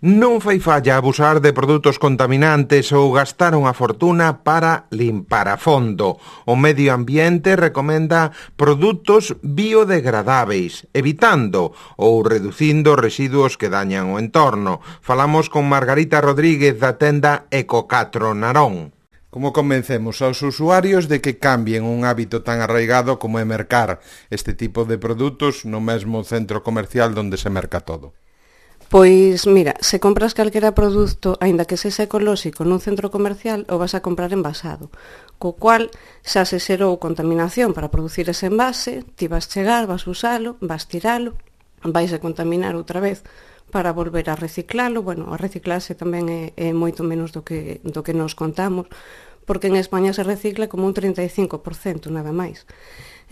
Non fai falla abusar de produtos contaminantes ou gastar unha fortuna para limpar a fondo. O medio ambiente recomenda produtos biodegradáveis, evitando ou reducindo residuos que dañan o entorno. Falamos con Margarita Rodríguez da tenda Eco4 Narón. Como convencemos aos usuarios de que cambien un hábito tan arraigado como é mercar este tipo de produtos no mesmo centro comercial onde se merca todo? Pois, mira, se compras calquera produto, aínda que sexa ecolóxico nun centro comercial, o vas a comprar envasado, co cual xa se xerou contaminación para producir ese envase, ti vas chegar, vas usalo, vas tiralo, vais a contaminar outra vez para volver a reciclalo. Bueno, a reciclarse tamén é moito menos do que nos contamos, porque en España se recicla como un 35%, nada máis.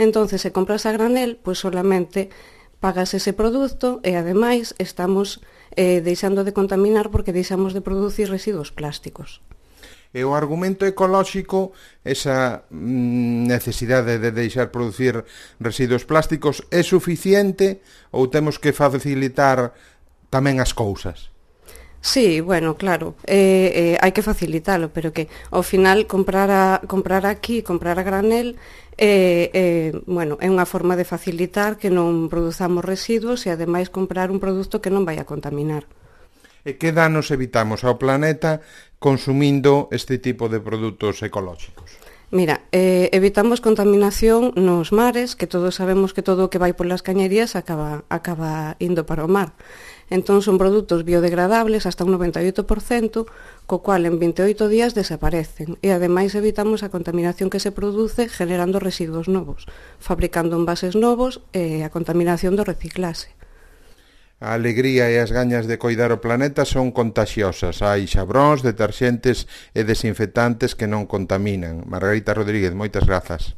Entonces, se compras a granel, pois solamente pagas ese produto e, ademais, estamos deixando de contaminar porque deixamos de producir residuos plásticos. E o argumento ecolóxico, esa necesidade de deixar producir residuos plásticos, é suficiente ou temos que facilitar tamén as cousas? Sí, bueno, claro, hai que facilitalo, pero que ao final comprar aquí, comprar a granel, bueno, é unha forma de facilitar que non produzamos residuos e ademais comprar un produto que non vai a contaminar. E que danos evitamos ao planeta consumindo este tipo de produtos ecolóxicos? Mira, evitamos contaminación nos mares, que todos sabemos que todo o que vai polas cañerías acaba indo para o mar. Entón son produtos biodegradables hasta un 98%, co cual en 28 días desaparecen. E ademais evitamos a contaminación que se produce generando residuos novos, fabricando envases novos e a contaminación do reciclase. A alegría e as gañas de coidar o planeta son contaxiosas. Hai xabróns, deterxentes e desinfectantes que non contaminan. Margarita Rodríguez, moitas grazas.